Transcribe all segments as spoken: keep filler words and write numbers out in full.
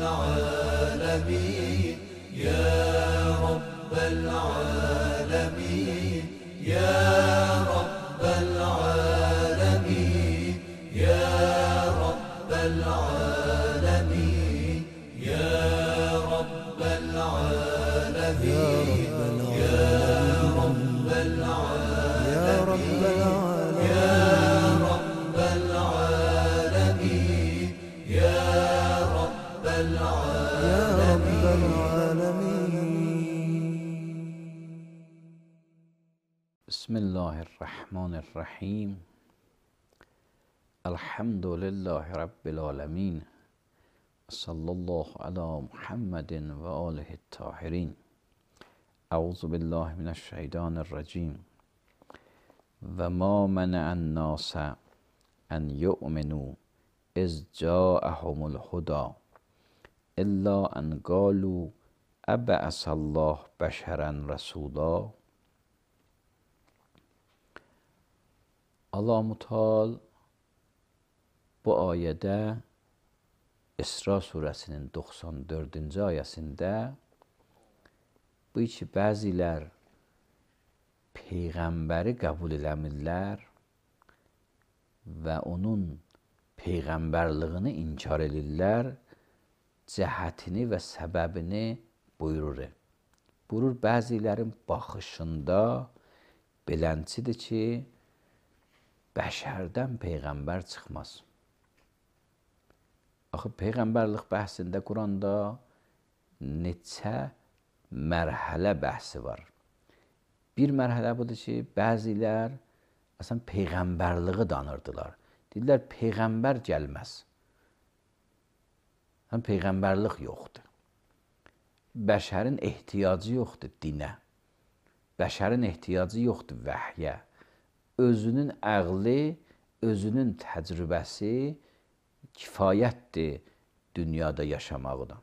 العالمين يا رب العالمين يا رب العالمين يا رب العالمين يا رب العالمين يا رب العالمين يا رب العالمين يا رب العالمين. بسم الله الرحمن الرحیم. الحمد لله رب العالمین. صلی الله علی محمد و آله الطاهرین. اعوذ بالله من الشیطان الرجیم. و ما منع الناس ان یؤمنوا اذ جاءهم الهدی الا ان قالوا ابعث الله بشرا رسولا. Allah Muteal bu ayədə İsra surəsinin doxsan dördüncü ayəsində bu ki, bəzilər Peyğəmbəri qəbul eləmirlər və onun Peyğəmbərliyini inkar edirlər, cəhətini və səbəbini buyurur. Buyurur, bəzilərin baxışında belənçidir ki, bəşərdən Peyğəmbər çıxmaz. Axı, Peyğəmbərlik bəhsində Quranda neçə mərhələ bəhsi var. Bir mərhələ budur ki, bəzilər əslən Peyğəmbərliyi danırdılar. Deyirlər, Peyğəmbər gəlməz. Həm Peyğəmbərlik yoxdur. Bəşərin ehtiyacı yoxdur dinə. Bəşərin ehtiyacı yoxdur vəhyə. Özünün əqli, özünün təcrübəsi kifayətdir dünyada yaşamaqdan.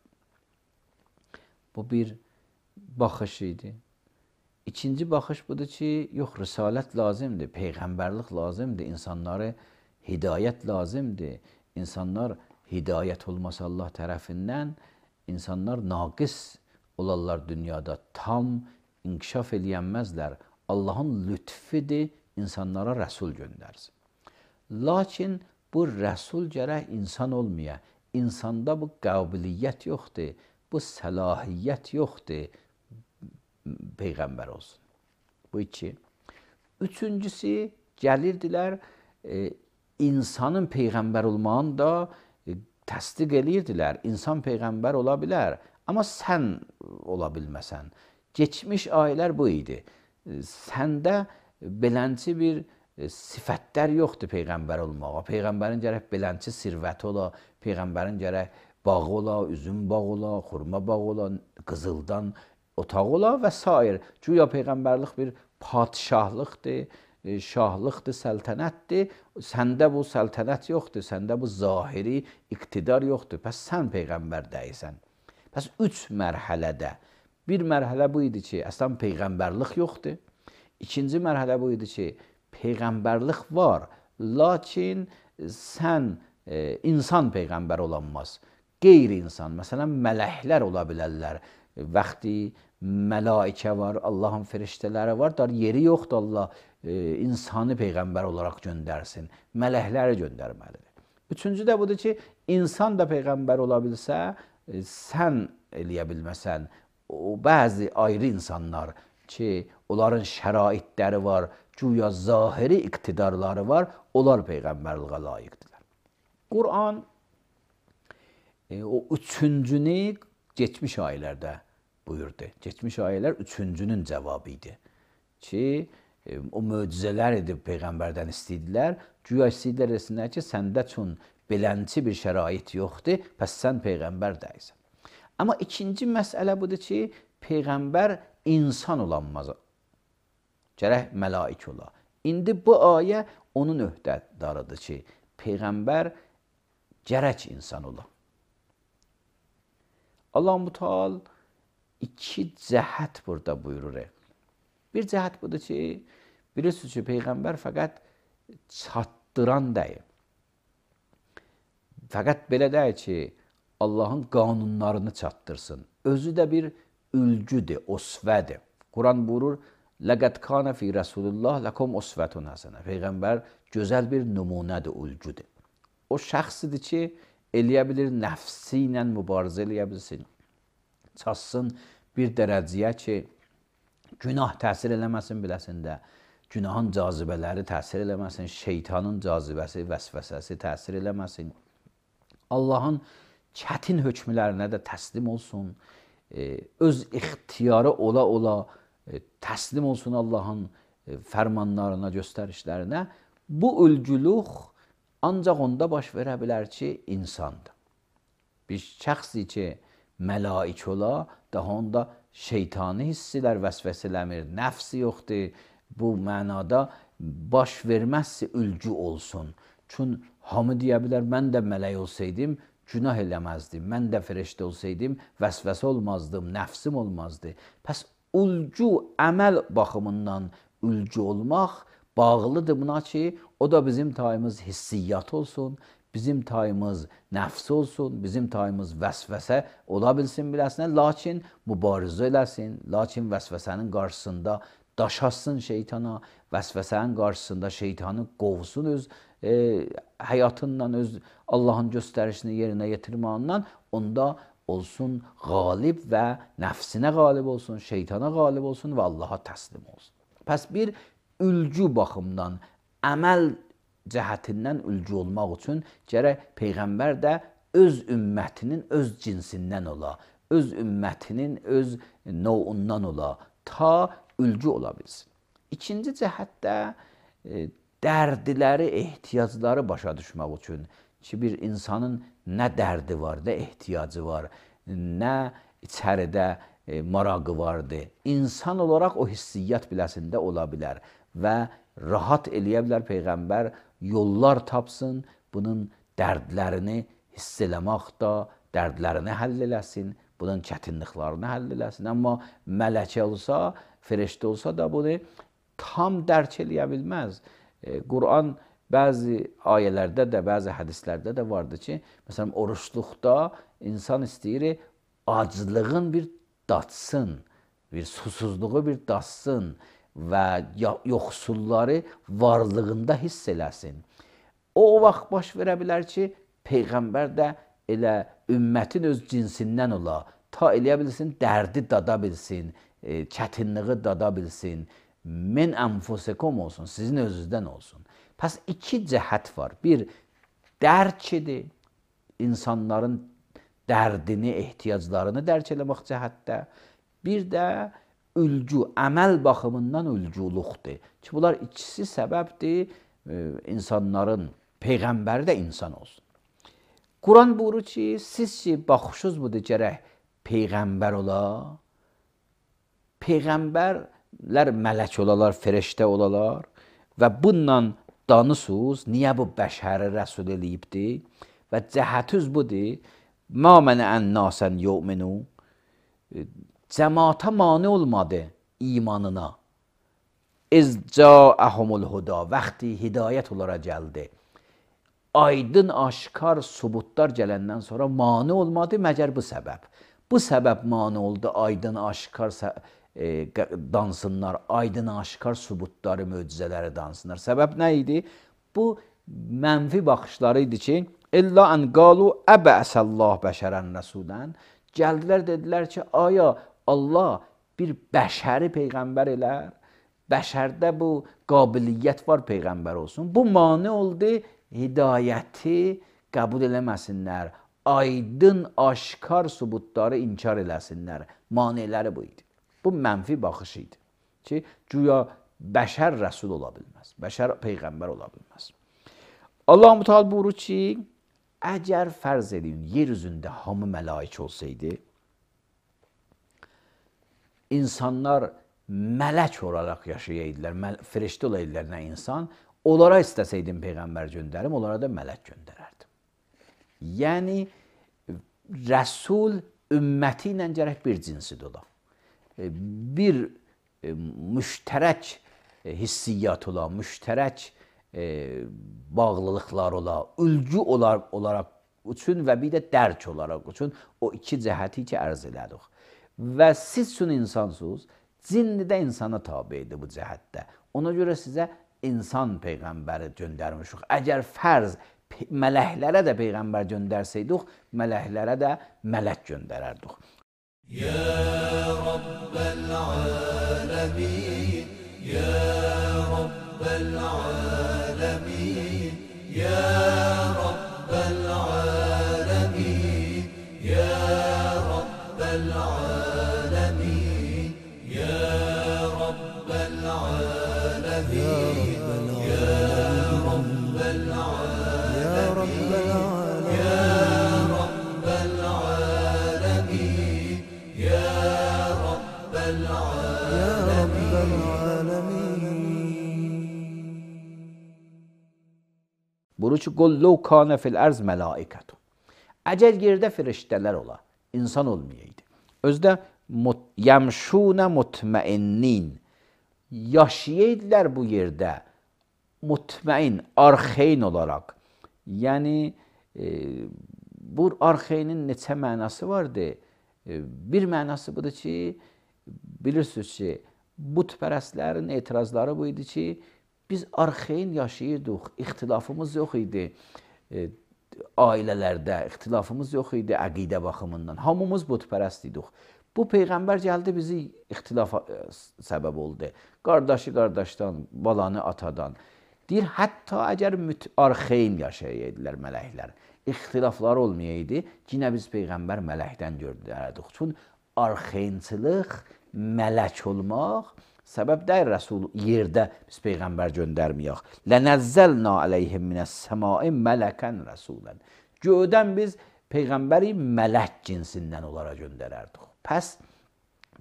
Bu bir baxış idi. İkinci baxış budur ki, yox, risalət lazımdır, Peyğəmbərlik lazımdır, insanları hidayət lazımdır. İnsanlar hidayət olmasa Allah tərəfindən, insanlar naqis olarlar dünyada, tam inkişaf eləyənməzlər. Allahın lütfidir, insanlara rəsul göndərsin. Lakin bu rəsul gərək insan olmaya, insanda bu qabiliyyət yoxdur, bu səlahiyyət yoxdur, Peyğəmbər olsun. Bu iki. Üçüncüsü, gəlirdilər, e, insanın Peyğəmbər olmağını da e, təsdiq eləyirdilər. İnsan Peyğəmbər ola bilər, amma sən ola bilməsən. Geçmiş ayələr bu idi. E, səndə belənçi bir e, sifətlər yoxdur Peyğəmbər olmağa. Peyğəmbərin gərək belənçi sirvəti ola, Peyğəmbərin gərək bağı ola, üzüm bağı ola, xurma bağı ola, qızıldan otaq ola və s. Güya Peyğəmbərlik bir padişahlıqdır, e, şahlıqdır, səltənətdir. Səndə bu səltənət yoxdur, səndə bu zahiri iqtidar yoxdur. Pəs sən Peyğəmbər deyilsən. Pəs üç mərhələdə. Bir mərhələ bu idi ki, əslən Peyğəmbərlik yoxdur. İkinci mərhələ bu idi ki, Peyğəmbərlik var, lakin sən e, insan Peyğəmbər olanmaz. Qeyri-insan, məsələn, mələklər ola bilərlər. Vaxti mələikə var, Allahın firiştələri var, dar yeri yoxdur Allah e, insanı Peyğəmbər olaraq göndərsin. Mələkləri göndərməlidir. Üçüncü də budur ki, insan da Peyğəmbər ola bilsə, e, sən eləyə bilməsən, o bəzi ayrı insanlar ki, onların şəraitləri var, güya zahiri iqtidarları var, onlar Peyğəmbərliyə layiqdirlər. Quran e, o üçüncünü geçmiş ayələrdə buyurdu. Geçmiş ayələr üçüncünün cavabı idi. Ki, e, o möcüzələr edib Peyğəmbərdən istəydilər, güya istəydilər desinlər ki, səndə üçün belənçi bir şərait yoxdur, pəs sən Peyğəmbər deyilsən. Amma ikinci məsələ budur ki, Peyğəmbər insan olanmaz. Gərək məlaik ola. İndi bu ayə onun öhdədarıdır ki, Peyğəmbər gərək insan ola. Allah Muteal iki cəhət burada buyurur. Bir cəhət budur ki, bilirsiniz ki, Peyğəmbər fəqət çatdıran deyil. Fəqət belə deyil ki, Allahın qanunlarını çatdırsın. Özü də bir ülgüdür, osvədir. Quran buyurur, لَقَدْ كَانَ فِي رَسُولِ اللّٰهِ لَكُمْ أُسْوَةٌ حَسَنَةٌ. Peyğəmbər gözəl bir nümunədir, ülgüdür. O şəxsidir ki, eləyə bilir, nəfsi ilə mübarizə eləyə bilsin. Çatsın bir dərəcəyə ki, günah təsir eləməsin biləsində, günahın cazibələri təsir eləməsin, şeytanın cazibəsi, vəsvəsəsi təsir eləməsin. Allahın çətin hökmlərinə də təslim olsun, öz ixtiyarı ola-ola təslim olsun Allahın fərmanlarına, göstərişlərinə. Bu ülgülük ancaq onda baş verə bilər ki, insandır. Bir şəxsi ki, məlaik ola, daha onda şeytani hissilər vəsvəsə eləmir, nəfsi yoxdur. Bu mənada baş verməzsə ülgü olsun. Çün hamı deyə bilər, mən də mələk olsaydım, günah eləməzdim. Mən də firəştə olsaydım, vəsvəsə olmazdım, nəfsim olmazdı. Pəs ülgü, əməl baxımından ülgü olmaq bağlıdır buna ki, o da bizim tayımız hissiyyat olsun, bizim tayımız nəfs olsun, bizim tayımız vəsvəsə ola bilsin biləsinə, lakin mübarizə eləsin, lakin vəsvəsənin qarşısında daşasın şeytana, vəsvəsənin qarşısında şeytanı qovsun öz e, həyatından, öz Allahın göstərişini yerinə yetirmağından, onda olsun qalib və nəfsinə qalib olsun, şeytana qalib olsun və Allaha təslim olsun. Pəs bir ülgü baxımdan, əməl cəhətindən ülgü olmaq üçün gərək Peyğəmbər də öz ümmətinin öz cinsindən ola, öz ümmətinin öz novundan ola, ta ülgü ola bilsin. İkinci cəhətdə e, dərdiləri, ehtiyacları başa düşmək üçün ki, bir insanın nə dərdi var, nə ehtiyacı var, nə içəridə e, marağı vardır. İnsan olaraq o hissiyyat biləsində ola bilər və rahat eləyə bilər Peyğəmbər, yollar tapsın, bunun dərdlərini hiss eləmək da, dərdlərini həll eləsin, bunun çətinliklərini həll eləsin. Amma mələkə olsa, firəştə olsa da bunu tam dərk eləyə bilməz. E, Quran bəzi ayələrdə də, bəzi hədislərdə də vardır ki, məsələn, oruçluqda insan istəyir, aclığın bir datsın, bir susuzluğu bir datsın və yoxsulları varlığında hiss eləsin. O, o vaxt baş verə bilər ki, Peyğəmbər də elə ümmətin öz cinsindən ola, ta eləyə bilsin, dərdi dada bilsin, e, çətinliyi dada bilsin, men enfusekum olsun, sizin özünüzdən olsun. Pəs iki cəhət var. Bir, dərk edir, insanların dərdini, ehtiyaclarını dərk eləmək cəhətdə. Bir də ülgü, əməl baxımından ülgülükdir. Ki, bunlar ikisi səbəbdir, e, insanların, Peyğəmbəri də insan olsun. Quran buyurur ki, siz ki, baxışınız budur, gərək Peyğəmbər ola. Peyğəmbərlər mələk olalar, firəştə olalar və bununla danısınız, niyə bu bəşəri rəsul eləyibdir? Və cəhətüz budur, mə mənə ən nasən yu'minu, cəmaata mane olmadı imanına. İz ca'əhumul huda, vaxtı hidayət olaraq gəldi. Aydın, aşkar subutlar gələndən sonra mane olmadı, məgər bu səbəb. Bu səbəb mane oldu, aydın, aşkar e, dansınlar, aydın, aşkar subutları, möcüzələri dansınlar. Səbəb nə idi? Bu mənfi baxışları idi ki, İlla ən qalu əbəsəllah bəşərən rəsulən. Gəldilər, dedilər ki, aya Allah bir bəşəri Peyğəmbər elər, bəşərdə bu qabiliyyət var Peyğəmbər olsun. Bu mane oldu, hidayəti qəbul eləməsinlər, aydın, aşkar subutları inkar eləsinlər. Maneləri bu idi. Bu mənfi baxış idi ki, güya bəşər rəsul ola bilməz, bəşər Peyğəmbər ola bilməz. Allah-u Teala buyurur ki, əgər fərz edin, yer üzündə hamı məlaik olsaydı, insanlar mələk olaraq yaşayaydılar, firəştə olaydılar nə insan, onlara istəsəydim Peyğəmbər göndərim, onlara da mələk göndərərdim. Yəni, rəsul ümməti ilə gərək bir cinsidir ola. Bir müştərək hissiyyat ola, müştərək bağlılıqlar ola, ülgü olar, olaraq üçün və bir də dərk olaraq üçün o iki cəhəti ki ərz elədik. Və siz üçün insansınız, cin də insana tabidir bu cəhətdə. Ona görə sizə insan peyğəmbəri göndərmişik. Əgər fərz mələklərə də peyğəmbər göndərsəydik, mələklərə də mələk göndərərdik. Ya Rabbel alemin, Ya Rabbel alemin, Ya Rabbel alemin, Ya Rabbel alemin, Ya Rabbel alemin, Ya Rabbel alemin, Ya Rabbel Bunu ki, qul ləv kânə fil ərz mələikətun. Əgər yerdə firiştələr ola, insan olmayaydı. Özdə yəmşûnə mutməinnin, yaşayaydılar bu yerdə mutməin, arxeyn olaraq. Yəni, e, bu arxeynin neçə mənası vardı? E, bir mənası budur ki, bilirsiniz ki, butpərəstlərin etirazları bu idi ki, biz arxeyn yaşayırdıq, ixtilafımız yox idi e, ailələrdə, ixtilafımız yox idi əqidə baxımından. Hamımız butpərəst idik. Bu Peyğəmbər gəldi, bizi ixtilafa səbəb oldu. Qardaşı qardaşdan, balanı atadan. Deyir, hətta əgər arxeyn yaşayaydılar mələklər, ixtilaflar olmayaydı, yine biz Peyğəmbər mələkdən gördürərdik. Çünki arxeynçılıq, mələk olmaq, səbəb deyir Rəsul yerdə biz Peyğəmbər göndərməyək. Lənəzzəlnə aleyhim minəs-səmai mələkən rəsulən. Göydən biz Peyğəmbəri mələk cinsindən onlara göndərərdik. Pəs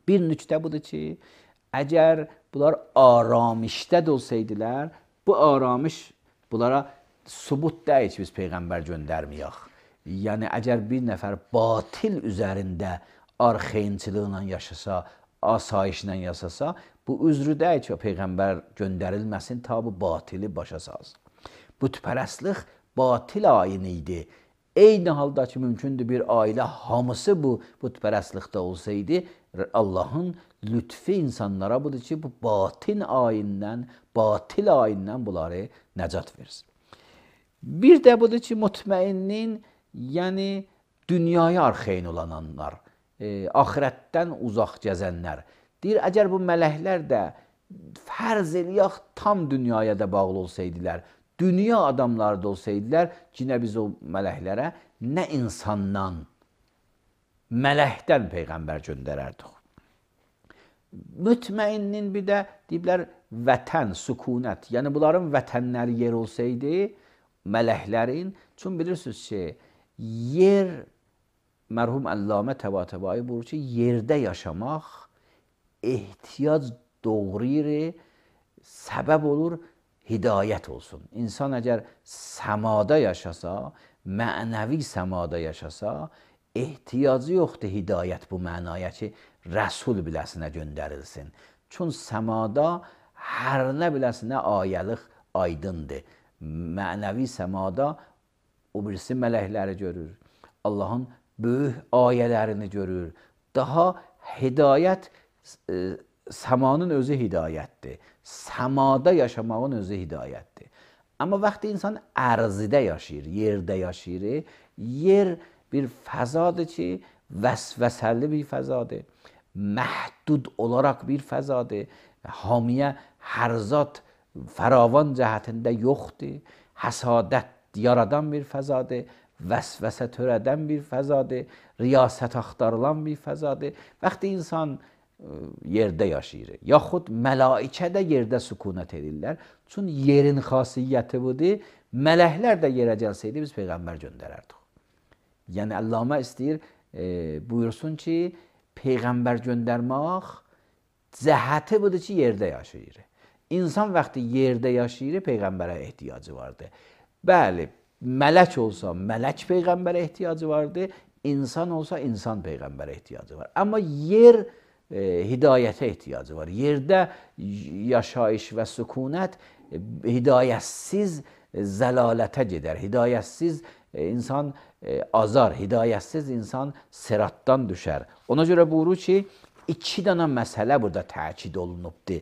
bir nüktə budur ki, əgər bunlar aramışdə də olsaydılar, bu aramış bunlara subut deyil ki, biz Peyğəmbər göndərməyək. Yəni, əgər bir nəfər batil üzərində arxeynçılıqla yaşasa, asayişlə yaşasa, bu üzrü deyil ki, Peyğəmbər göndərilməsin, ta bu batili başa salsın. Bütpərəstlik batil ayini idi. Eyni halda ki, mümkündür bir ailə hamısı bu bütpərəstlikdə olsaydı, Allahın lütfi insanlara budur ki, bu batin ayindən, batil ayindən bunları nəcat versin. Bir də budur ki, mutməinnin, yəni dünyaya arxeyn olananlar, e, axirətdən uzaq gəzənlər. Deyir, əgər bu mələklər də fərz eləyək tam dünyaya da bağlı olsaydılar, dünya adamları da olsaydılar, yine biz o mələklərə nə insandan, mələkdən Peyğəmbər göndərərdik. Mütməinnin bir də deyiblər vətən, sükunət, yəni bunların vətənləri yer olsaydı, mələklərin, çünki bilirsiniz ki, yer, mərhum Əllamə Təbatəbai buyurur ki, yerdə yaşamaq ehtiyac doğrayır, səbəb olur, hidayət olsun. İnsan əgər səmada yaşasa, mənəvi səmada yaşasa, ehtiyacı yoxdur hidayət bu mənaya ki, Rəsul biləsinə göndərilsin. Çünki səmada hər nə biləsinə ayəlik aydındır. Mənəvi səmada o birisi mələkləri görür. Allahın böyük ayələrini görür. Daha hidayət, e, səmanın özü hidayətdir. Səmada yaşamağın özü hidayətdir. Amma vaxtı insan ərzidə yaşayır, yerdə yaşayır. Yer bir fəzadır ki, vəsvəsəli bir fəzadır. Məhdud olaraq bir fəzadır. Hamiyə hər zat fəravan cəhətində yoxdur. Həsadət yaradan bir fəzadır. Vəsvəsə törədən bir fəzadır. Riyasət axtarılan bir fəzadır. Vaxtı insan yerdə yaşayır. Yaxud mələikə də yerdə sükunət edirlər. Çünki yerin xasiyyəti budur. Mələklər də yerə gəlsəydi, biz Peyğəmbər göndərərdik. Yəni, Əllamə istəyir, e, buyursun ki, Peyğəmbər göndərmək cəhəti budur ki, yerdə yaşayır. İnsan vaxtı yerdə yaşayır, Peyğəmbərə ehtiyacı vardır. Bəli, mələk olsa, mələk Peyğəmbərə ehtiyacı vardır. İnsan olsa, insan Peyğəmbərə ehtiyacı var. Amma yer e, hidayətə ehtiyacı var. Yerdə yaşayış və sükunət e, hidayətsiz zəlalətə gedər. Hidayətsiz e, insan e, azar, hidayətsiz insan sıratdan düşər. Ona görə buyurur ki, iki dənə məsələ burada təkid olunubdur.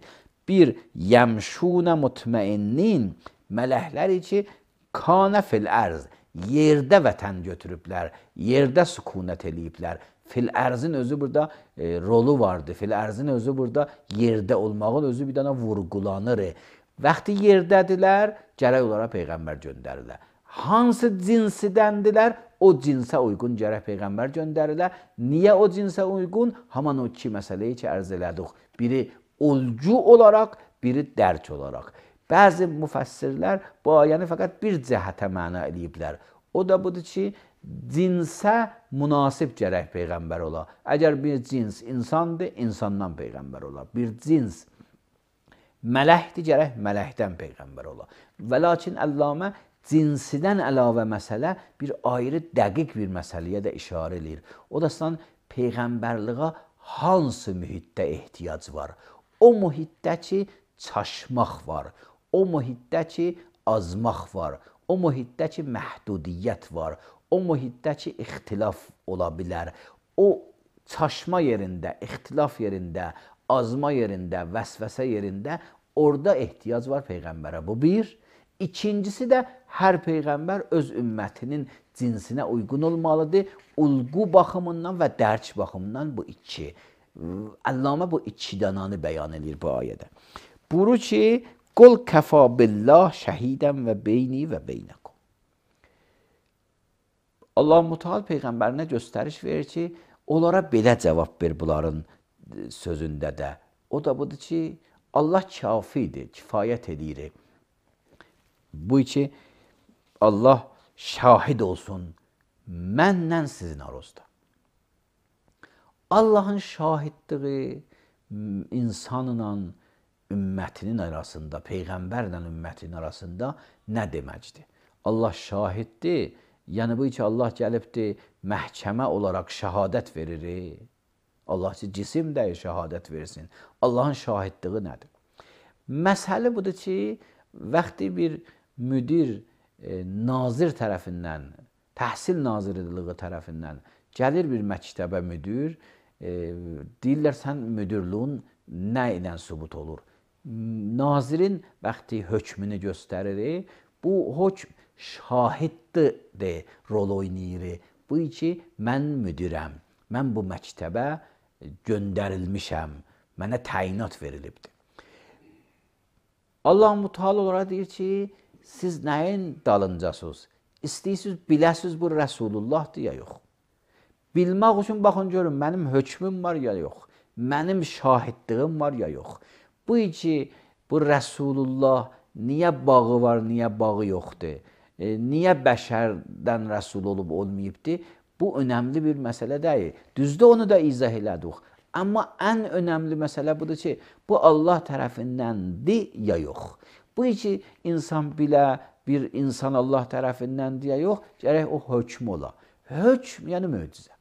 Bir, yəmşunə mutmainnin, mələklər ki, kanə fil ərz, yerdə vətən götürüblər, yerdə sükunət eləyiblər. Fil ərzin özü burada e, rolu vardır. Fil ərzin özü burada yerdə olmağın özü bir dənə vurgulanır. Vaxtı yerdədirlər, gərək onlara Peyğəmbər göndərirlər. Hansı cinsidəndirlər, o cinsə uyğun gərək Peyğəmbər göndərirlər. Niyə o cinsə uyğun? Haman o iki məsələyi ki, ərz elədik. Biri olcu olaraq, biri dərk olaraq. Bəzi müfəssirlər bu ayəni fəqət bir cəhətə məna eləyiblər. O da budur ki, cinsə münasib gərək Peyğəmbər ola. Əgər bir cins insandır, insandan Peyğəmbər ola. Bir cins mələkdir, gərək mələkdən Peyğəmbər ola. Və lakin Əllamə cinsidən əlavə məsələ bir ayrı dəqiq bir məsələyə də işarə edir. O da sən Peyğəmbərliğə hansı mühitdə ehtiyac var? O mühitdə ki, çaşmaq var. O mühitdə ki, azmaq var. O mühitdə ki, məhdudiyyət var. O mühitdə ki, ixtilaf ola bilər. O çaşma yerində, ixtilaf yerində, azma yerində, vəsvəsə yerində orada ehtiyac var Peyğəmbərə. Bu bir. İkincisi də hər Peyğəmbər öz ümmətinin cinsinə uyğun olmalıdır. Ulğu baxımından və dərk baxımından bu iki. Əllamə bu iki dənanı bəyan edir bu ayədə. Buyurur ki, qul kəfa billah şəhidən və beyni və beynəkum. Allah Mütəal Peyğəmbərinə göstəriş verir ki, onlara belə cavab ver bunların sözündə də. O da budur ki, Allah kafidir, kifayət edir. Bu ki, Allah şahid olsun, məndən sizin arasında. Allahın şahidliği insanla ümmətinin arasında, Peyğəmbərlə ümmətinin arasında nə deməkdir? Allah şahiddir, yəni bu ki, Allah gəlibdir, məhkəmə olaraq şəhadət verir. Allah ki, cisim də şəhadət versin. Allahın şahidliği nədir? Məsələ budur ki, vaxtı bir müdir, e, nazir tərəfindən, təhsil nazirliği tərəfindən gəlir bir məktəbə müdir, e, deyirlər, sən müdürlüğün nə ilə sübut olur? Nazirin vaxtı hökmünü göstərir, bu hökm şahiddir de rol oynayır. Bu ki, mən müdirəm, mən bu məktəbə göndərilmişəm, mənə təyinat verilibdir. Allah Mütəal olaraq deyir ki, siz nəyin dalıncasınız? İstəyirsiniz, biləsiniz bu Rəsulullahdır ya yox. Bilmək üçün baxın görün, mənim hökmüm var ya yox, mənim şahidliğim var ya yox. Bu ki, bu Rəsulullah niyə bağı var, niyə bağı yoxdur? E, niyə bəşərdən rəsul olub olmayıbdır? Bu önəmli bir məsələ deyil. Düzdür, onu da izah elədik. Amma ən önəmli məsələ budur ki, bu Allah tərəfindəndir ya yox. Bu ki, insan bilə, bir insan Allah tərəfindəndir ya yox, gərək o hökm ola. Hökm, yəni möcüzə.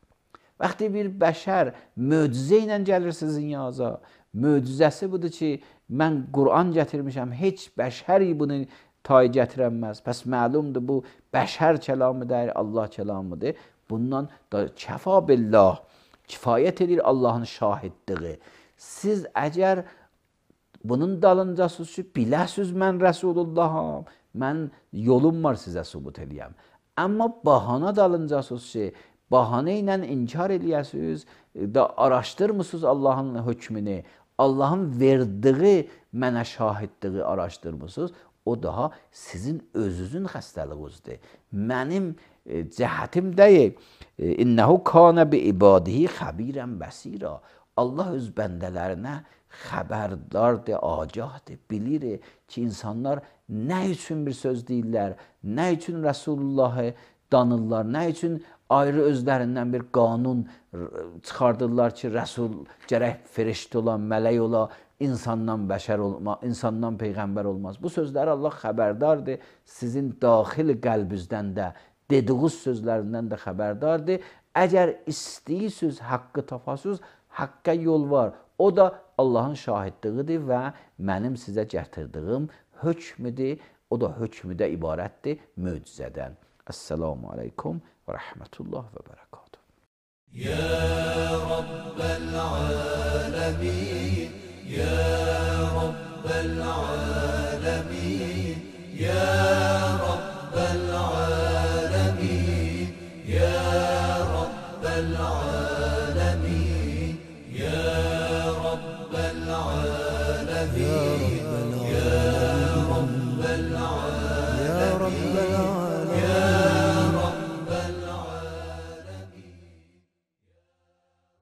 Vaxtı bir bəşər möcüzə ilə gəlir sizin yaza, möcüzəsi budur ki, mən Qur'an gətirmişəm, heç bəşər bunu tay gətirənməz. Pəs məlumdur, bu bəşər kəlamıdır, Allah kəlamıdır. Bundan da kəfa billah, kifayət edir Allahın şahidliği. Siz əgər bunun dalıncasınız ki, biləsiniz mən Rəsulullaham, mən yolum var sizə sübut edəyəm. Amma bahana dalıncasınız ki, bahane ilə inkar eləyəsiniz, da araşdırmısınız Allahın hökmünü, Allahın verdiği mənə şahidliği araşdırmısınız, o daha sizin özünüzün xəstəliyinizdir. Mənim e, cəhətim deyil. E, İnnəhu kanə bi ibadihi xəbirən bəsira. Allah öz bəndələrinə xəbərdardır, agahdır, bilir ki, insanlar nə üçün bir söz deyirlər, nə üçün Rəsulullahı danırlar, nə üçün ayrı özlərindən bir qanun çıxardırlar ki, Rəsul gərək feriştə olan, mələk ola, insandan bəşər olma, insandan peyğəmbər olmaz. Bu sözləri Allah xəbərdardır, sizin daxil qəlbinizdən də, dediğiniz sözlərindən də xəbərdardır. Əgər istəyirsiniz, haqqı tapasınız, haqqa yol var. O da Allahın şahidliğidir və mənim sizə gətirdiyim hökmüdür. O da hökmüdə ibarətdir möcüzədən. Esselamu aleykum və rəhmətullah və bərəkatuhu. يا رب العالمين يا رب العالمين يا رب العالمين يا رب العالمين